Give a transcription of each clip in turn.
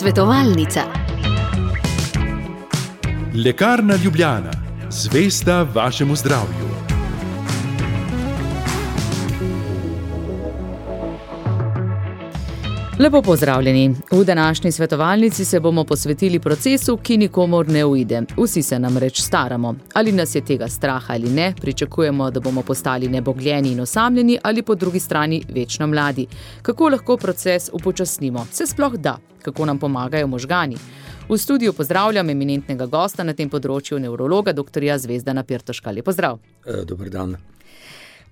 Svetovalnica. Lekarna Ljubljana. Zvesta vašemu zdravju. Lepo pozdravljeni. V današnji svetovalnici se bomo posvetili procesu, ki nikomur ne uide. Vsi se namreč staramo. Ali nas je tega straha ali ne, pričakujemo, da bomo postali nebogljeni in osamljeni ali po drugi strani večno mladi. Kako lahko proces upočasnimo? Se sploh da? Kako nam pomagajo možgani? V studiu pozdravljam eminentnega gosta na tem področju, nevrologa dr. Zvezdana Pirtoška. Lep pozdrav. Dober dan.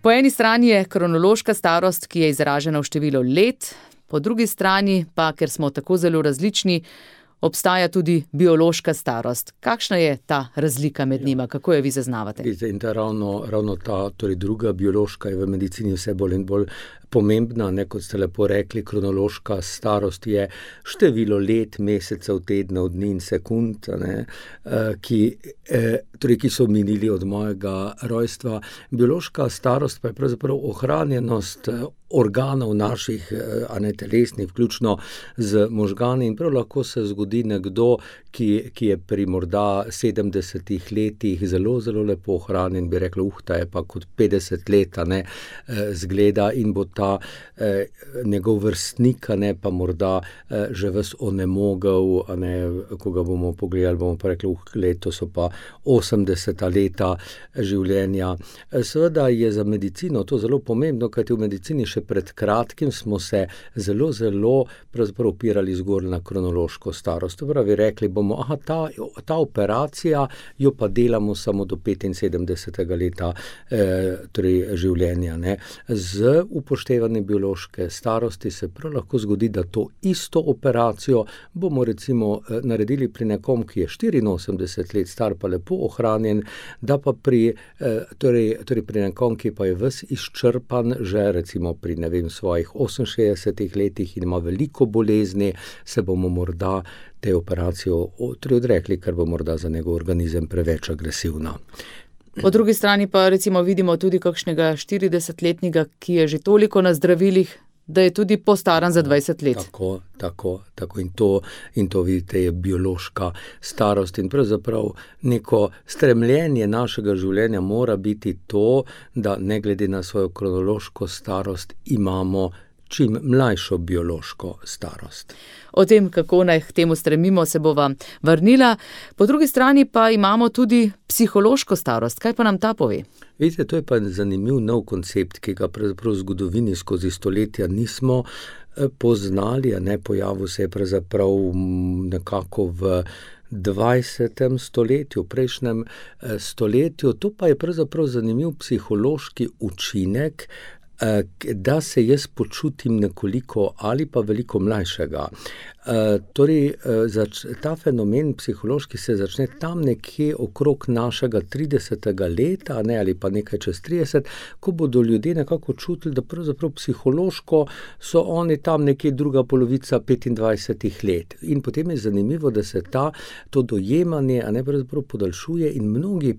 Po eni strani je kronološka starost, ki je izražena v številu let, po drugi strani pa, ker smo tako zelo različni, obstaja tudi biološka starost. Kakšna je ta razlika med njima? Kako jo vi zaznavate? In ravno ta, torej druga biološka je v medicini vse bolj in bolj pomembna, kot ste lepo rekli, kronološka starost je število let, mesecev, tednov, dni in sekund, ki so minili od mojega rojstva. Biološka starost pa je pravzaprav ohranjenost organov naših, telesnih, vključno z možgani, in prav lahko se zgodi nekdo, ki je pri morda 70 letih zelo, zelo lepo ohranjen, bi rekla, ta je pa kot 50 let, zgleda, in bo ta njegov vrstnik, pa morda že ves onemogel, ko ga bomo pogledali, bomo pa rekli, leto so pa 80 leta življenja. Seveda je za medicino to zelo pomembno, kajti v medicini še pred kratkim smo se zelo, zelo pravzaprav opirali zgolj na kronološko starost. Pravi, rekli bomo, ta operacija jo pa delamo samo do 75. leta torej življenja. Z upoštevanjem biološke starosti se prav lahko zgodi, da to isto operacijo bomo recimo naredili pri nekom, ki je 84 let star, pa lepo ohranjen, da pa pri nekom, ki pa je ves izčrpan, že recimo pri svojih 68 letih in ima veliko bolezni, se bomo morda te operacijo odrekli, ker bo morda za njegov organizem preveč agresivna. Po drugi strani pa recimo vidimo tudi kakšnega 40-letnega, ki je že toliko na zdravilih, da je tudi postaran za 20 let. Tako. In to vidite, je biološka starost. In pravzaprav neko stremljenje našega življenja mora biti to, da ne glede na svojo kronološko starost imamo čim mlajšo biološko starost. O tem, kako naj k temu stremimo, se bova vrnila. Po drugi strani pa imamo tudi psihološko starost. Kaj pa nam ta pove? Vidite, to je pa zanimiv nov koncept, ki ga pravzaprav v zgodovini skozi stoletja nismo poznali, pojavil se je pravzaprav nekako v 20. stoletju, v prejšnjem stoletju. To pa je pravzaprav zanimiv psihološki učinek, da se jaz počutim nekoliko ali pa veliko mlajšega. Ta fenomen psihološki se začne tam nekje okrog našega 30. leta, ali pa nekaj čez 30, ko bodo ljudje nekako čutili, da pravzaprav psihološko so oni tam nekje druga polovica 25 let. In potem je zanimivo, da se to dojemanje pravzaprav podaljšuje in mnogi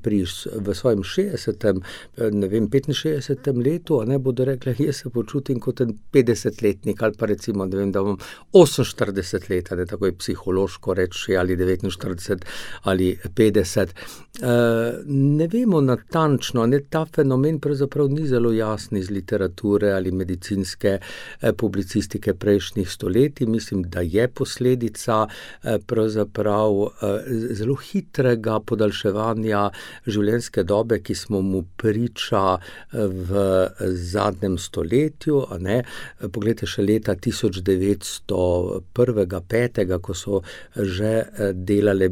v svojem 60., 65. letu, bodo rekli, jaz se počutim kot en 50-letnik, ali pa recimo, da imam 48 let, tako je psihološko reči, ali 49 ali 50. Ne vemo natančno, ta fenomen pravzaprav ni zelo jasen iz literature ali medicinske publicistike prejšnjih stoletij. Mislim, da je posledica pravzaprav zelo hitrega podaljševanja življenjske dobe, ki smo mu priča v zadnjem stoletju. Poglejte, še leta 1901. 5., ko so že delale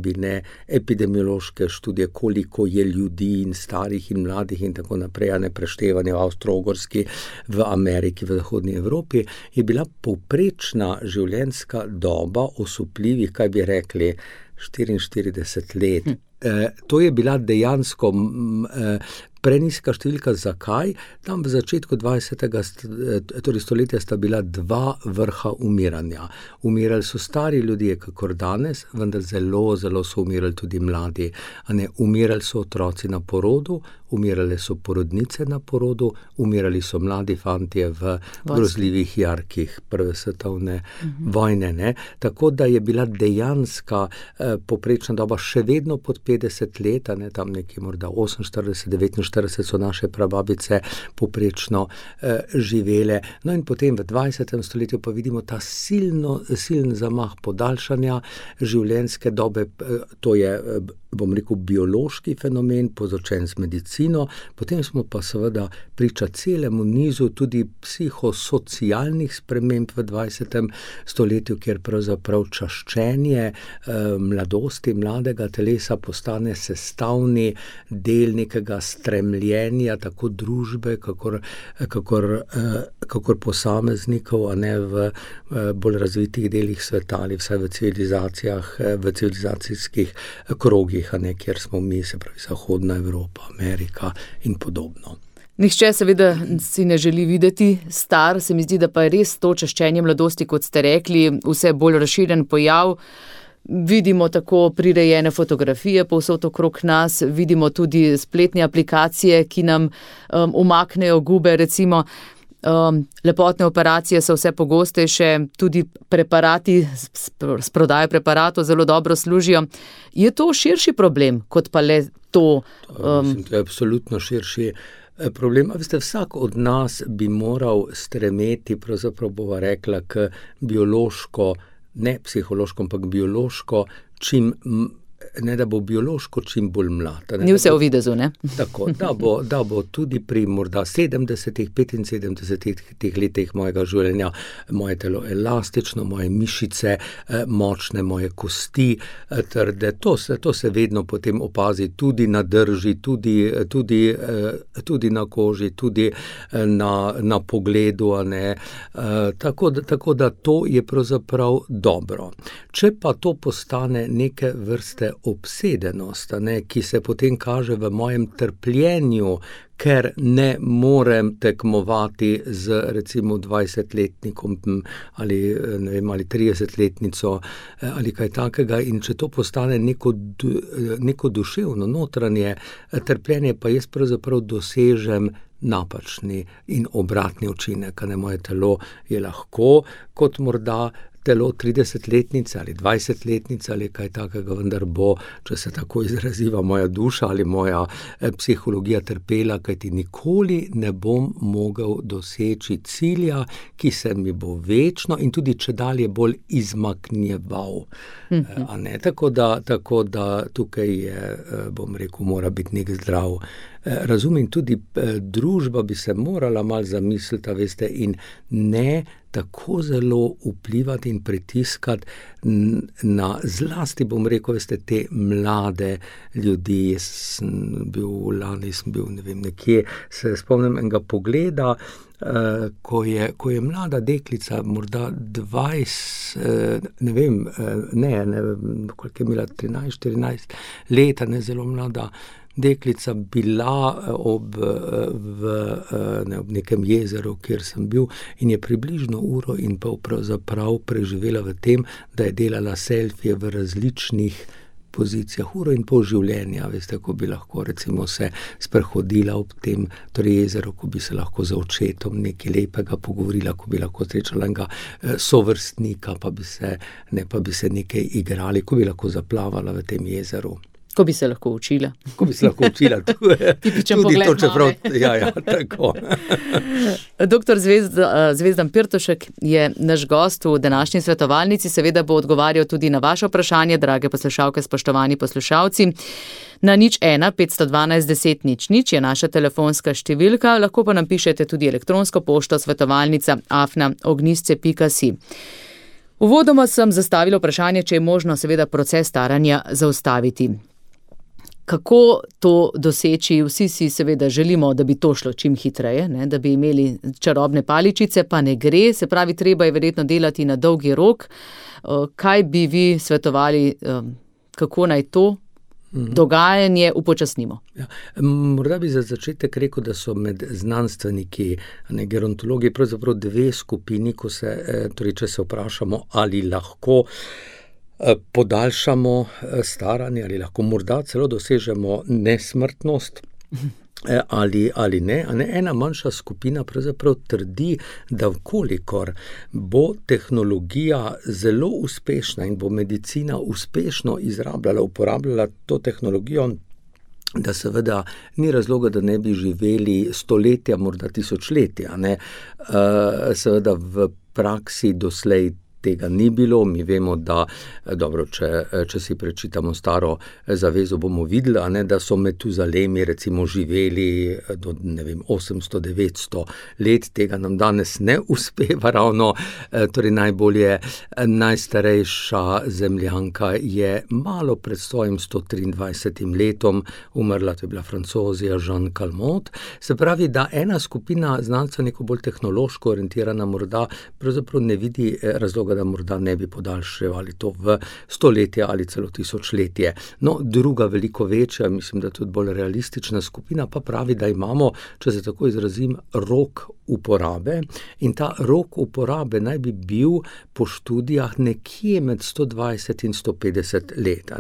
epidemiološke študije, koliko je ljudi in starih in mladih in tako naprej, preštevanje v Avstro-Ogrski, v Ameriki, v Zahodni Evropi, je bila povprečna življenjska doba osupljivih, kaj bi rekli, 44 let. To je bila dejansko prenizka številka. Zakaj? Tam v začetku 20. stoletja sta bila dva vrha umiranja. Umirali so stari ljudje, kakor danes, vendar zelo, zelo so umirali tudi mladi. Umirali so otroci na porodu, umirale so porodnice na porodu, umirali so mladi fantje v grozljivih jarkih prve svetovne vojne. Ne? Tako da je bila dejanska poprečna doba še vedno pod 50 let, ne? Tam nekje morda 48, 49 so naše prababice poprečno živele. No in potem v 20. stoletju pa vidimo ta silen zamah podaljšanja življenjske dobe, to je, bom rekel, biološki fenomen, povzročen z medicino, potem smo pa seveda priča celemu nizu tudi psihosocialnih sprememb v 20. stoletju, kjer pravzaprav čaščenje mladosti, mladega telesa postane sestavni del nekega stremljenja, tako družbe, kakor posameznikov, a ne v bolj razvitih delih sveta ali vsaj v civilizacijah, v civilizacijskih krogih, a ne, kjer smo mi, se pravi Zahodna Evropa, Amerika in podobno. Nihče seveda si ne želi videti star, se mi zdi, da pa je res to čaščenje mladosti, kot ste rekli, vse bolj razširjen pojav. Vidimo tako prirejene fotografije povsod okrog nas, vidimo tudi spletne aplikacije, ki nam umaknejo gube, recimo. Lepotne operacije so vse pogostejše, tudi preparati, s prodajo preparatov zelo dobro služijo. Je to širši problem, kot pa le to? Mislim, to je absolutno širši problem. Veste, vsak od nas bi moral stremeti, pravzaprav bova rekla, k biološko, ne psihološko, ampak biološko, ne da bo biološko čim bolj mlad. Ni vse v videzu, ne? Tako, da bo tudi pri morda 70, 75 letih mojega življenja moje telo elastično, moje mišice močne, moje kosti trde. To se vedno potem opazi tudi na drži, tudi na koži, tudi na pogledu, a ne. Tako da to je pravzaprav dobro. Če pa to postane neke vrste obsedenost, ne, ki se potem kaže v mojem trpljenju, ker ne morem tekmovati z recimo 20-letnikom ali 30-letnico ali kaj takega, in če to postane neko duševno, notranje trpljenje, pa jaz pravzaprav dosežem napačni in obratni učinek, ne, moje telo je lahko kot morda telo 30-letnice ali 20-letnice ali kaj takega, vendar bo, če se tako izraziva, moja duša ali moja psihologija trpela, kajti nikoli ne bom mogel doseči cilja, ki se mi bo večno in tudi čedalje bolj izmaknjeval. A ne? Tako da tukaj je, bom rekel, mora biti nek zdrav razum in tudi družba bi se morala malo zamisliti, veste, in ne tako zelo vplivati in pritiskati na zlasti, bom rekel, veste, te mlade ljudi. Lani sem bil, ne vem, nekje, se spomnim enega pogleda, ko je mlada deklica, morda 20, ne vem, koliko je imela, 13-14 leta, ne, zelo mlada deklica, bila ob nekem jezeru, kjer sem bil, in je približno uro in pol pravzaprav preživela v tem, da je delala selfije v različnih pozicijah, uro in pol življenja, veste, ko bi lahko recimo se sprehodila ob tem jezeru, ko bi se lahko z očetom nekaj lepega pogovorila, ko bi lahko srečala enega sovrstnika, pa bi se nekaj igrali, ko bi lahko zaplavala v tem jezeru. Ko bi se lahko učila. Tipičen pogled, to, čeprav, ja, tako. Doktor Zvezdan Pirtošek je naš gost v današnji svetovalnici, seveda bo odgovarjal tudi na vaše vprašanje, drage poslušalke, spoštovani poslušalci. Na 01 512 10 00 je naša telefonska številka, lahko pa nam pišete tudi elektronsko pošto svetovalnica@ognisce.si. Uvodoma sem zastavila vprašanje, če je možno seveda proces staranja zaustaviti. Kako to doseči? Vsi si seveda želimo, da bi to šlo čim hitreje, ne? Da bi imeli čarobne paličice, pa ne gre, se pravi, treba je verjetno delati na dolgi rok. Kaj bi vi svetovali, kako naj to dogajanje upočasnimo? Ja, morda bi za začetek rekel, da so med znanstveniki, gerontologi, pravzaprav dve skupini, če se vprašamo, ali lahko podaljšamo staranje, ali lahko morda celo dosežemo nesmrtnost. ali ne. Ena manjša skupina pravzaprav trdi, da vkolikor bo tehnologija zelo uspešna in bo medicina uspešno uporabljala to tehnologijo, da seveda ni razloga, da ne bi živeli stoletja, morda tisočletja. Seveda v praksi doslej tega ni bilo. Mi vemo, da, dobro, če si prečitamo Staro zavezo, bomo videli, da so Metuzalemi recimo živeli do 800-900 let. Tega nam danes ne uspeva ravno. Torej najstarejša Zemljanka je malo pred svojim 123. letom umrla, to je bila Francozija Jeanne Calment. Se pravi, da ena skupina znanstvenikov bolj tehnološko orientirana morda pravzaprav ne vidi razloga, da morda ne bi podaljševali to v stoletje ali celo tisočletje. No, druga, veliko večja, mislim, da tudi bolj realistična skupina pa pravi, da imamo, če se tako izrazim, rok uporabe, in ta rok uporabe naj bi bil po študijah nekje med 120 in 150 let.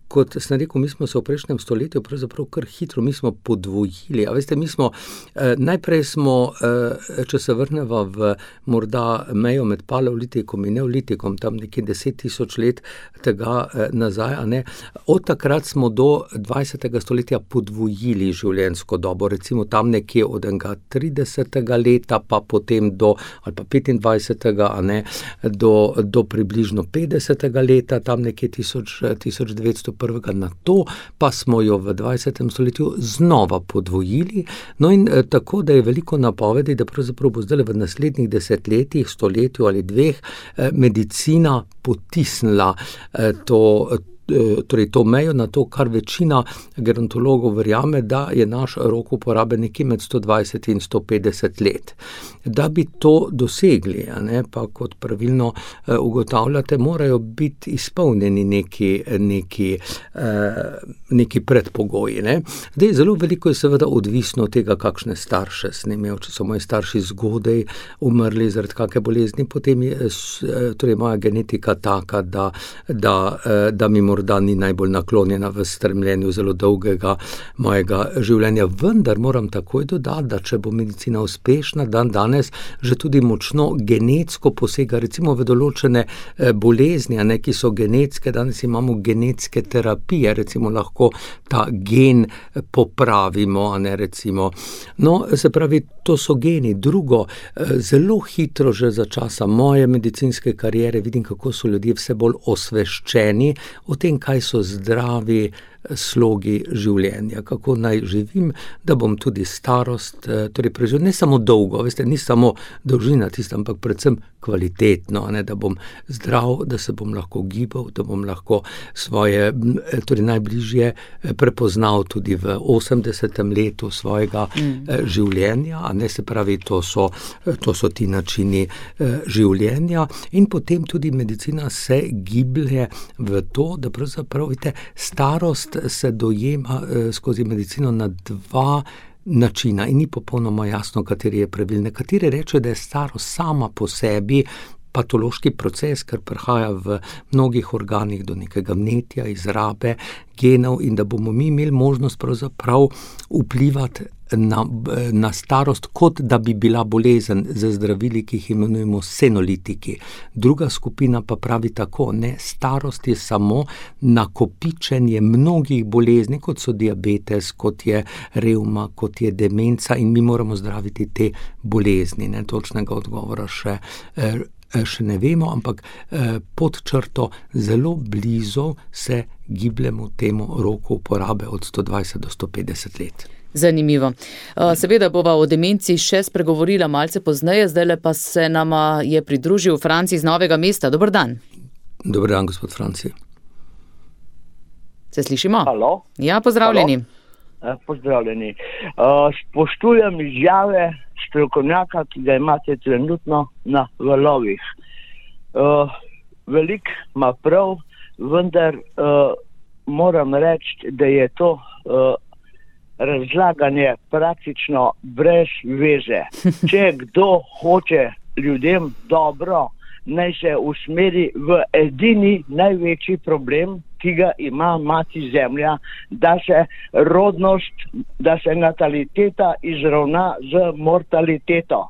Kot sem rekel, mi smo se v prejšnjem stoletju pravzaprav kar hitro, mi smo podvojili. A veste, najprej smo, če se vrneva v morda mejo med paleolitikom in neolitikom, tam nekje 10 000 let tega nazaj, od takrat smo do 20. stoletja podvojili življenjsko dobo, recimo tam nekje od 30. leta, pa potem do, ali pa 25. do približno 50. leta, tam nekje 1901. Na to pa smo jo v 20. stoletju znova podvojili. No in tako, da je veliko napovedi, da pravzaprav bo zdaj v naslednjih desetletjih, stoletju ali dveh, medicina potisnila to mejo na to, kar večina gerontologov verjame, da je naš rok uporabe nekje med 120 in 150 let. Da bi to dosegli, pa kot pravilno ugotavljate, morajo biti izpolnjeni neki predpogoji. Zdaj, zelo veliko je seveda odvisno od tega, kakšne starše sem imel. Če so moji starši zgodaj umrli zaradi kakšne bolezni, potem je torej moja genetika taka, da mi morda ni najbolj naklonjena v stremljenju zelo dolgega mojega življenja. Vendar moram takoj dodati, da če bo medicina uspešna, danes že tudi močno genetsko posega, recimo v določene bolezni, ki so genetske. Danes imamo genetske terapije, recimo lahko ta gen popravimo, recimo. No, se pravi, to so geni. Drugo, zelo hitro že za časa moje medicinske kariere vidim, kako so ljudje vse bolj osveščeni o tem, kaj so zdravi slogi življenja, kako naj živim, da bom tudi starost preživel ne samo dolgo, veste, ni samo dolžina tista, ampak predvsem kvalitetno, da bom zdrav, da se bom lahko gibal, da bom lahko svoje najbližje prepoznal tudi v 80. letu svojega življenja, se pravi, to so ti načini življenja. In potem tudi medicina se giblje v to, da pravzaprav, vidite, starost se dojema skozi medicino na dva načina in ni popolnoma jasno, kateri je pravilni. Nekateri rečejo, da je starost sama po sebi patološki proces, ker prihaja v mnogih organih do nekega vnetja, izrabe genov, in da bomo mi imeli možnost pravzaprav vplivati na starost, kot da bi bila bolezen, z zdravili, ki jih imenujemo senolitiki. Druga skupina pa pravi tako, starost je samo nakopičenje mnogih bolezni, kot so diabetes, kot je revma, kot je demenca, in mi moramo zdraviti te bolezni. Točnega odgovora še ne vemo, ampak pod črto zelo blizu se gibljemo temu roku uporabe od 120 do 150 let. Zanimivo. Seveda bova o demenci še spregovorila malce pozneje, zdajle pa se nama je pridružil Franci iz Novega mesta. Dober dan. Dober dan, gospod Franci. Se slišimo? Halo? Ja, pozdravljeni. Halo? Pozdravljeni. Spoštujem izjave strokovnjaka, ki ga imate trenutno na valovih. Veliko ima prav, vendar moram reči, da je to razlaganje praktično brez veze. Če kdo hoče ljudem dobro, naj se usmeri v edini največji problem, ki ga ima mati zemlja, da se rodnost, da se nataliteta izravna z mortaliteto.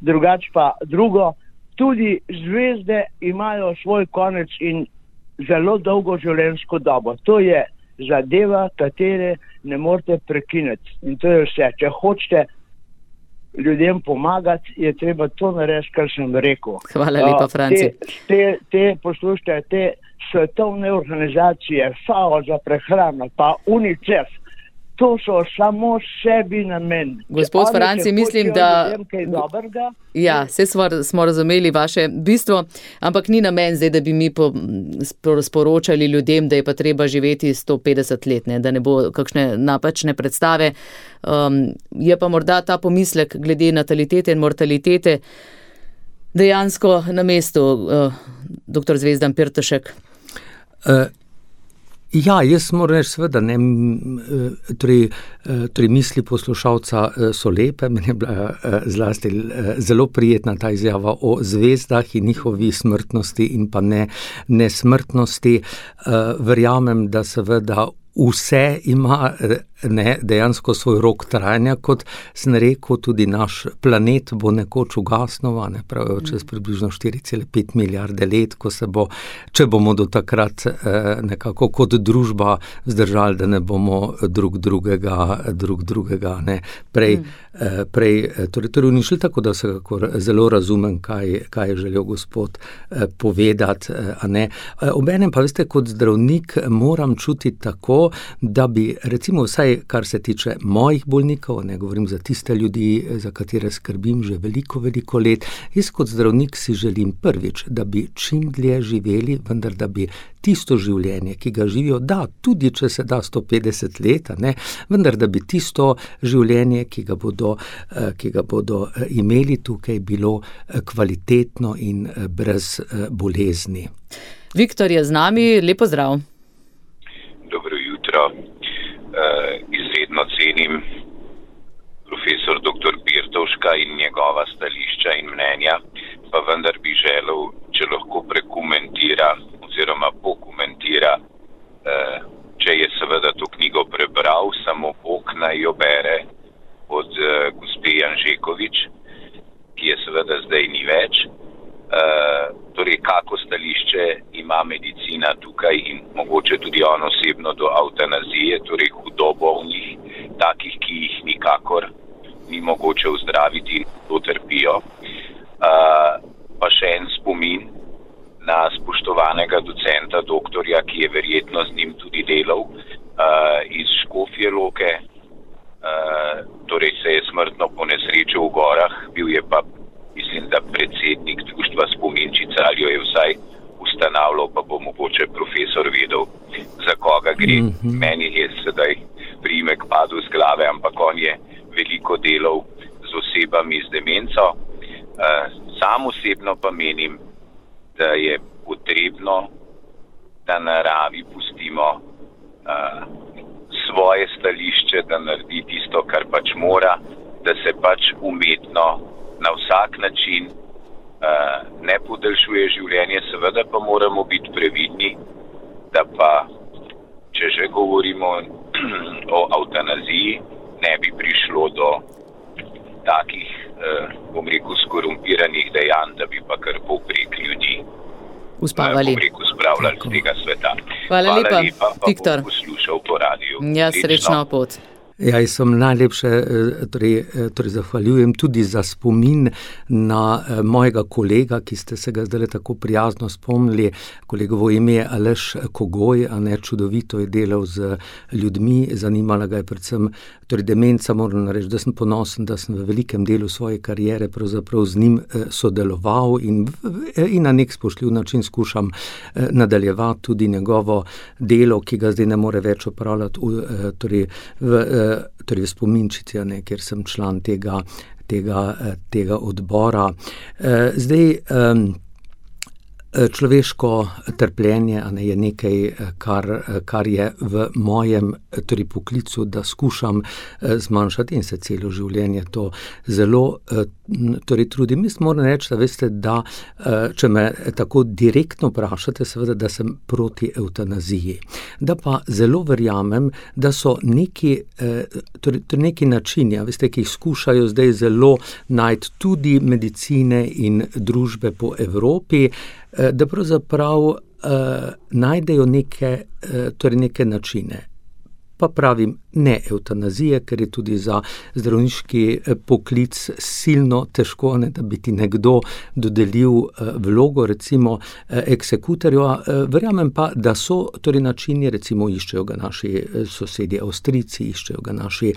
Drugač pa drugo, tudi zvezde imajo svoj konec in zelo dolgo življenjsko dobo. To je zadeva, katere ne morete prekiniti. In to je vse. Če hočete ljudem pomagati, je treba to narediti, kar sem rekel. Hvala lepa, Franci. Poslušajte, te svetovne organizacije, FAO za prehrano, pa UNICEF, to so samo sebi namen. Gospod Franci, mislim, da... Ja, vse smo razumeli vaše bistvo, ampak ni namen zdaj, da bi mi sporočali ljudem, da je pa treba živeti 150 let, da ne bo kakšne napačne predstave. Je pa morda ta pomislek glede natalitete in mortalitete dejansko na mestu, dr. Zvezdan Pirtošek. Ja, jaz moram reči seveda, torej misli poslušalca so lepe, meni je bila zlasti zelo prijetna ta izjava o zvezdah in njihovi smrtnosti in pa nesmrtnosti. Verjamem, da seveda vse ima dejansko svoj rok trajanja, kot sem rekel, tudi naš planet bo nekoč ugasnil, pravijo čez približno 4,5 milijarde let, ko se bo, če bomo do takrat nekako kot družba vzdržali, da ne bomo drug drugega prej torej uničili, tako da vsekakor zelo razumem, kaj je želel gospod povedati. Obenem pa, veste, kot zdravnik moram čutiti tako, da bi recimo vsaj kar se tiče mojih bolnikov, ne govorim za tiste ljudi, za katere skrbim že veliko let, jaz kot zdravnik si želim prvič, da bi čim dlje živeli, vendar da bi tisto življenje, ki ga živijo, da, tudi če se da 150 let, vendar da bi tisto življenje, ki ga bodo imeli tukaj, bilo kvalitetno in brez bolezni. Viktor je z nami, lepo zdrav. Dobro jutro. Izredno cenim profesor dr. Pirtovška in njegova stališča in mnenja, pa vendar bi želel, če lahko prekomentira oziroma pokomentira, če je seveda to knjigo prebral, samo Bog naj jo bere od gospe Janžekovič, ki je seveda zdaj ni več. Torej, kako stališče ima medicina tukaj in mogoče tudi on osebno do eutanazije, torej hudobolnih, takih, ki jih nikakor ni mogoče ozdraviti in to trpijo. Pa še en spomin na spoštovanega docenta, doktorja, ki je verjetno z njim tudi delal, iz Škofje Loke, torej se je smrtno ponesrečil v gorah, bil je pa mislim, da predsednik društva Spominčica ali jo je vsaj ustanavljal, pa bo mogoče profesor vedel, za koga gre. Meni je sedaj priimek padel z glave, ampak on je veliko delal z osebami z demenco. Sam osebno pa menim, da je potrebno, da naravi pustimo svoje stališče, da naredi tisto, kar pač mora, da se pač umetno na vsak način ne podaljšuje življenje, seveda pa moramo biti previdni, da pa, če že govorimo o eutanaziji, ne bi prišlo do takih, bom rekel, skorumpiranih dejanj, da bi pa kar povprek ljudi uspavali. Spravljali z tega sveta. Hvala lepa, Viktor. Pa bom poslušal po radiju. Ja, srečno pot. Ja, jaz sem najlepše torej zahvaljujem tudi za spomin na mojega kolega, ki ste se ga zdaj tako prijazno spomnili. Kolegovo ime je Aleš Kogoj, čudovito je delal z ljudmi, zanimala ga je predvsem torej demenca, moram reči, da sem ponosen, da sem v velikem delu svoje kariere pravzaprav z njim sodeloval in na nek spoštljiv način skušam nadaljevati tudi njegovo delo, ki ga zdaj ne more več opravljati torej v Spominčici, kjer sem član tega odbora. Zdaj, Človeško trpljenje je nekaj, kar je v mojem poklicu, da skušam zmanjšati in se celo življenje to zelo trudim. Jaz moram reči, da če me tako direktno vprašate, seveda, da sem proti evtanaziji. Da pa zelo verjamem, da so neki načini, ki jih skušajo zdaj zelo najti tudi medicine in družbe po Evropi, da pravzaprav najdejo neke načine. Pa pravim ne evtanazije, ker je tudi za zdravniški poklic silno težko, da bi ti nekdo dodelil vlogo, recimo eksekutorja. Verjamem pa, da so načini, recimo iščejo ga naši sosedje Avstrijci, iščejo ga naši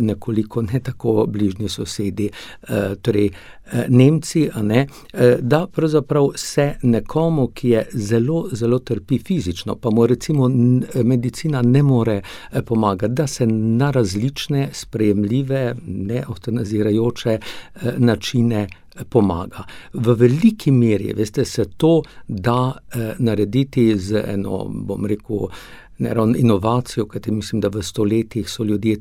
nekoliko ne tako bližnji sosedi, Nemci, da pravzaprav se nekomu, ki je zelo, zelo trpi fizično, pa mu recimo medicina ne more pomagati, da se na različne sprejemljive, ne evtanazirajoče načine pomaga. V veliki meri, se to da narediti z eno, bom rekel, inovacijo, kajti mislim, da v stoletjih so ljudje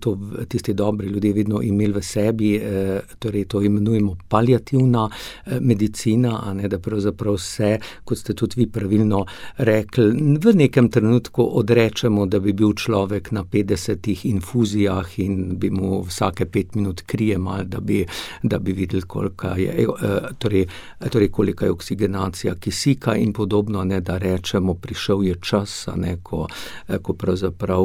tisti dobri ljudje vedno imeli v sebi, to imenujemo paliativna medicina, da pravzaprav se, kot ste tudi vi pravilno rekli, v nekem trenutku odrečemo, da bi bil človek na 50 infuzijah in bi mu vsake 5 minut krijemal, da bi videli, koliko je oksigenacija kisika in podobno, da rečemo, prišel je čas, ko pravzaprav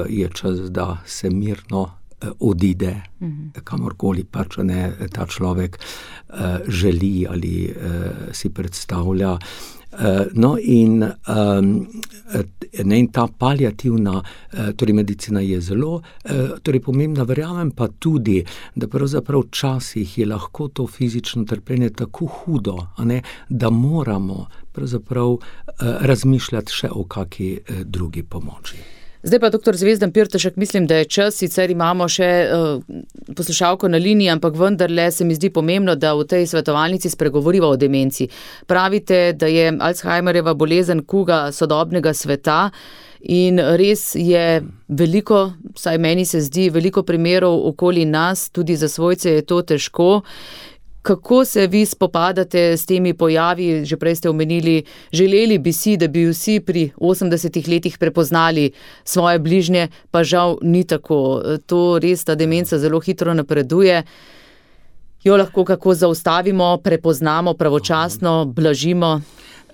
je čas, da se mirno odide, kamorkoli pač ta človek želi ali si predstavlja. In ta paliativna medicina je zelo pomembna, verjamem pa tudi, da pravzaprav včasih je lahko to fizično trpljenje tako hudo, da moramo pravzaprav razmišljati še o kakšni drugi pomoči. Zdaj pa, dr. Zvezdan Pirtešek, mislim, da je čas, sicer imamo še poslušalko na liniji, ampak vendarle se mi zdi pomembno, da v tej svetovalnici spregovoriva o demenci. Pravite, da je Alzheimerjeva bolezen kuga sodobnega sveta in res je veliko, vsaj meni se zdi, veliko primerov okoli nas, tudi za svojce je to težko. Kako se vi spopadate s temi pojavi? Že prej ste omenili, želeli bi si, da bi vsi pri 80 letih prepoznali svoje bližnje, pa žal ni tako. To res, ta demenca zelo hitro napreduje. Jo lahko kako zaustavimo, prepoznamo pravočasno, blažimo?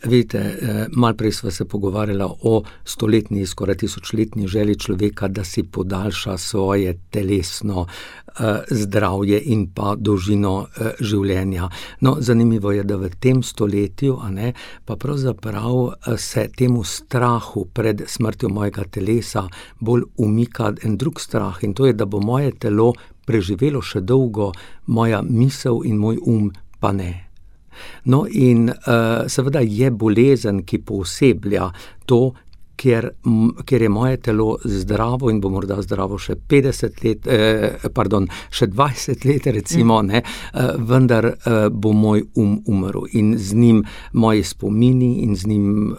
Vidite, malo prej sva se pogovarjala o stoletni, skoraj 1000-letni želji človeka, da si podaljša svoje telesno zdravje in pa dolžino življenja. No, zanimivo je, da v tem stoletju, pa pravzaprav se temu strahu pred smrtjo mojega telesa bolj umika en drug strah, in to je, da bo moje telo preživelo še dolgo, moja misel in moj pa ne. No, in seveda je bolezen, ki pooseblja to, ker je moje telo zdravo in bo morda zdravo še 50 let, še 20 let recimo, vendar bo moj umrl in z njim moji spomini in z njim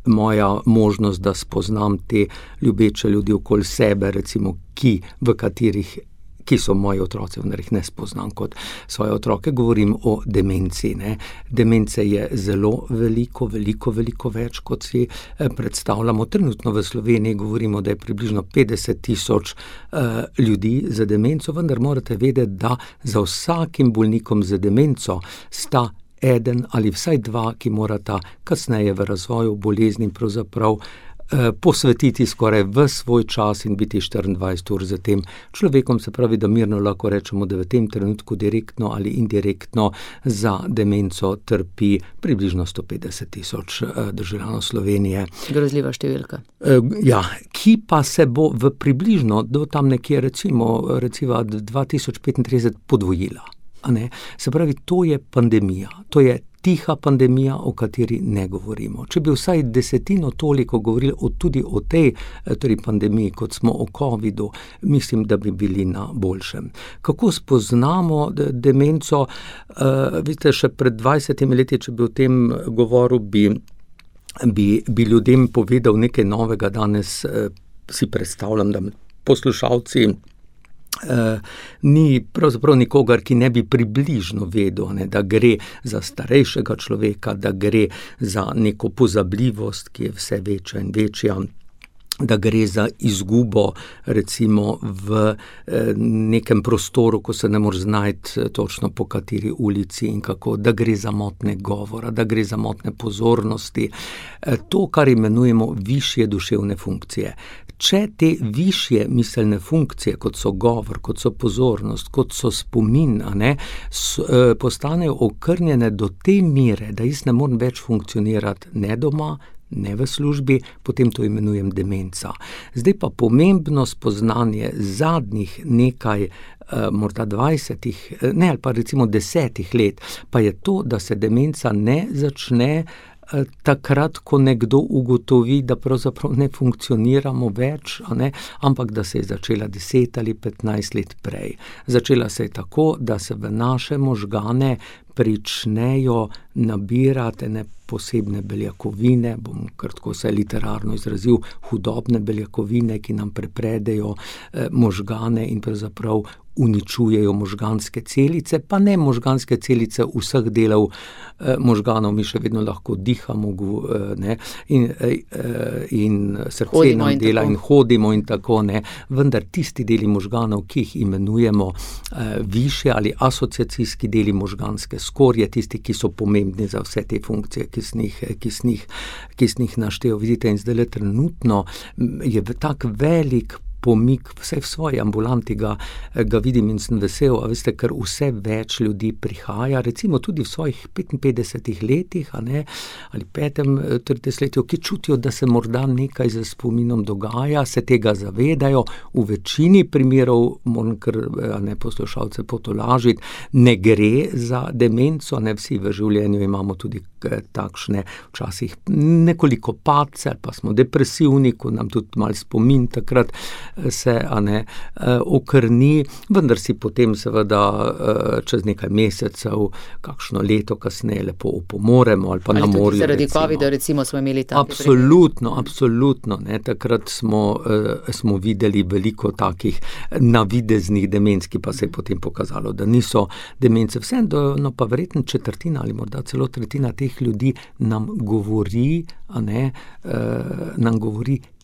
moja možnost, da spoznam te ljubeče ljudi okoli sebe, recimo, ki so moji otroci, vendar jih ne spoznam kot svoje otroke. Govorim o demenci. Demence je zelo veliko več, kot si predstavljamo. Trenutno v Sloveniji govorimo, da je približno 50,000 ljudi za demenco, vendar morate vedeti, da za vsakim bolnikom za demenco sta eden ali vsaj dva, ki morata kasneje v razvoju bolezni pravzaprav posvetiti skoraj v svoj čas in biti 24 ur za tem človekom. Se pravi, da mirno lahko rečemo, da v tem trenutku direktno ali indirektno za demenco trpi približno 150,000 državljanov Slovenije. Grozljiva številka. Ja, ki pa se bo v približno do tam nekje recimo 2035 podvojila. Se pravi, to je pandemija, to je tiha pandemija, o kateri ne govorimo. Če bi vsaj 10% toliko govorili tudi o tej pandemiji, kot smo o covidu, mislim, da bi bili na boljšem. Kako spoznamo demenco? Vidite, še pred 20 leti, če bi o tem govoril, bi ljudem povedal nekaj novega. Danes si predstavljam, da poslušalci ni pravzaprav nikogar, ki ne bi približno vedel, da gre za starejšega človeka, da gre za neko pozabljivost, ki je vse večja in večja, da gre za izgubo recimo v nekem prostoru, ko se ne moreš znajti točno po kateri ulici in kako, da gre za motnje govora, da gre za motnje pozornosti. To, kar imenujemo višje duševne funkcije. Če te višje miselne funkcije, kot so govor, kot so pozornost, kot so spomin, postanejo okrnjene do te mere, da jaz ne morem več funkcionirati ne doma, ne v službi, potem to imenujem demenca. Zdaj pa pomembno spoznanje zadnjih nekaj, morda 20, ali pa recimo 10 let, pa je to, da se demenca ne začne takrat, ko nekdo ugotovi, da pravzaprav ne funkcioniramo več, ampak da se je začela 10 ali 15 let prej. Začela se je tako, da se v naše možgane pričnejo nabirati posebne beljakovine, bom kratko se literarno izrazil, hudobne beljakovine, ki nam prepredejo možgane in pravzaprav uničujejo možganske celice, pa ne možganske celice vseh delov možganov, mi še vedno lahko dihamo, in srce nam dela in hodimo in tako, vendar tisti deli možganov, ki jih imenujemo višje ali asociacijski deli možganske skorje, tisti, ki so pomembni za vse te funkcije, ki sem jih naštel. Vidite, in zdaj trenutno je tak velik pomik, vse v svoji ambulanti ga vidim in sem vesel, veste, ker vse več ljudi prihaja, recimo tudi v svojih 55 letih, ali 35 letih, ki čutijo, da se morda nekaj z spominom dogaja, se tega zavedajo. V večini primerov, moram kar poslušalce potolažiti, ne gre za demenco, vsi v življenju imamo tudi takšne včasih nekoliko padce, ali pa smo depresivni, ko nam tudi malo spomin takrat se okrni, vendar si potem seveda čez nekaj mesecev, kakšno leto kasneje lepo opomoremo ali pa na morju. Ali tudi zaradi covida recimo smo imeli tam. Absolutno. Takrat smo videli veliko takih navideznih demenc, ki pa se je potem pokazalo, da niso demence. Vseeno pa verjetno četrtina ali morda celo tretjina teh ljudi nam govori,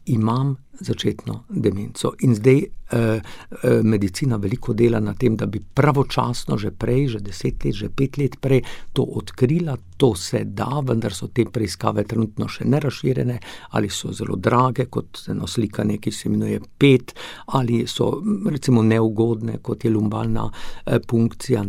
imam začetno demenco. In zdaj medicina veliko dela na tem, da bi pravočasno že prej, že 10 let, že 5 let prej to odkrila. To se da, vendar so te preiskave trenutno še nerazširjene ali so zelo drage, kot eno slikanje, ki se imenuje PET, ali so recimo neugodne, kot je lumbalna punkcija.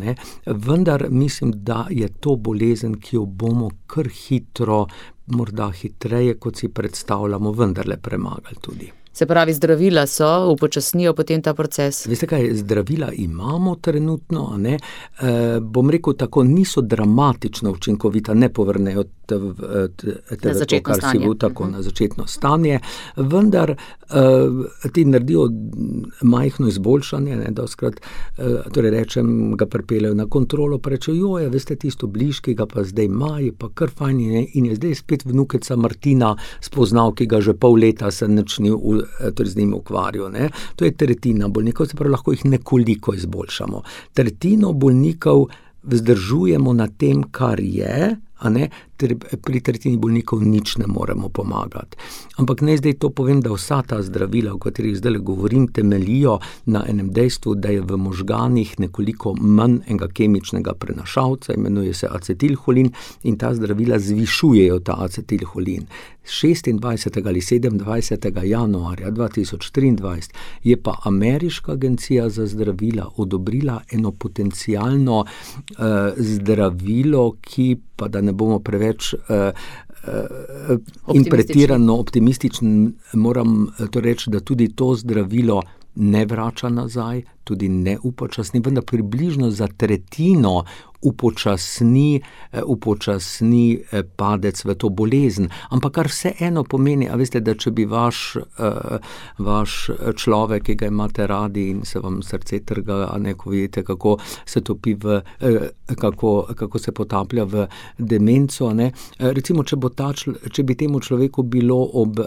Vendar mislim, da je to bolezen, ki jo bomo kar hitro, morda hitreje, kot si predstavljamo, vendarle premagali tudi. Se pravi, zdravila so, upočasnijo potem ta proces? Veste kaj, zdravila imamo trenutno, bom rekel tako, niso dramatično učinkovita, ne povrnejo na začetno stanje. Na začetno stanje, vendar ti naredijo majhno izboljšanje, doskrat, torej rečem, ga pripeljejo na kontrolo, pa rečejo, veste, tisto bližki ga pa zdaj ima, je pa kar fajn in je zdaj spet vnukeca Martina spoznal, ki ga že pol leta se ni z njim ukvarjal. To je tretjina bolnikov, se pravi, lahko jih nekoliko izboljšamo. Tretjino bolnikov vzdržujemo na tem, kar je, pri tretjini bolnikov nič ne moremo pomagati. Ampak naj zdaj to povem, da vsa ta zdravila, o katerih zdaj govorim, temeljijo na enem dejstvu, da je v možganih nekoliko manj enega kemičnega prenašalca, imenuje se acetilholin, in ta zdravila zvišujejo ta acetilholin. 26. ali 27. januarja 2023 je pa Ameriška agencija za zdravila odobrila eno potencialno zdravilo, ki pa da ne bomo preveč in pretirano optimističen, moram to reči, da tudi to zdravilo ne vrača nazaj, tudi ne upočasni, vendar približno za tretjino upočasni padec v to bolezen. Ampak kar vseeno pomeni, a veste, da če bi vaš človek, ki ga imate radi in se vam srce trga, a ne, ko vidite, kako se topi kako se potaplja v demenco, ne. Recimo, če bi temu človeku bilo ob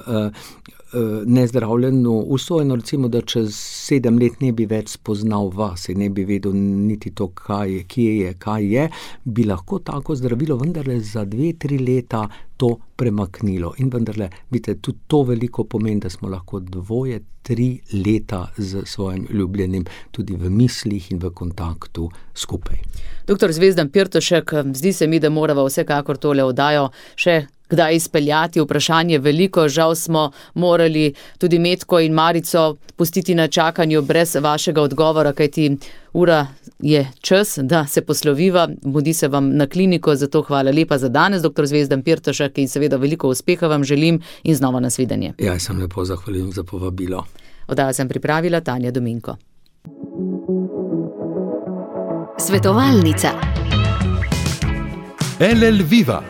nezdravljeno usojeno, recimo, da čez 7 let ne bi več spoznal vas in ne bi vedel niti to, kaj je, bi lahko tako zdravilo vendarle za 2-3 leta to premaknilo. In vendarle, vidite, tudi to veliko pomeni, da smo lahko 2-3 leta z svojim ljubljenim tudi v mislih in v kontaktu skupaj. Doktor Zvezdan Pirtošek, zdi se mi, da morava vsekakor tole oddajo še kdaj izpeljati. Vprašanje veliko, žal smo morali tudi Metko in Marico pustiti na čakanju brez vašega odgovora, kajti ura je čas, da se posloviva, mudi se vam na kliniko, zato hvala lepa za danes, doktor Zvezdan Pirtošek, in seveda veliko uspeha vam želim in znova nasvidenje. Ja, sem lepo zahvaljujem za povabilo. Oddajo sem pripravila Tanja Dominko. Svetovalnica. LL Viva,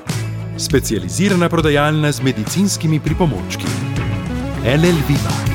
specializirana prodajalna z medicinskimi pripomočki. LL Viva.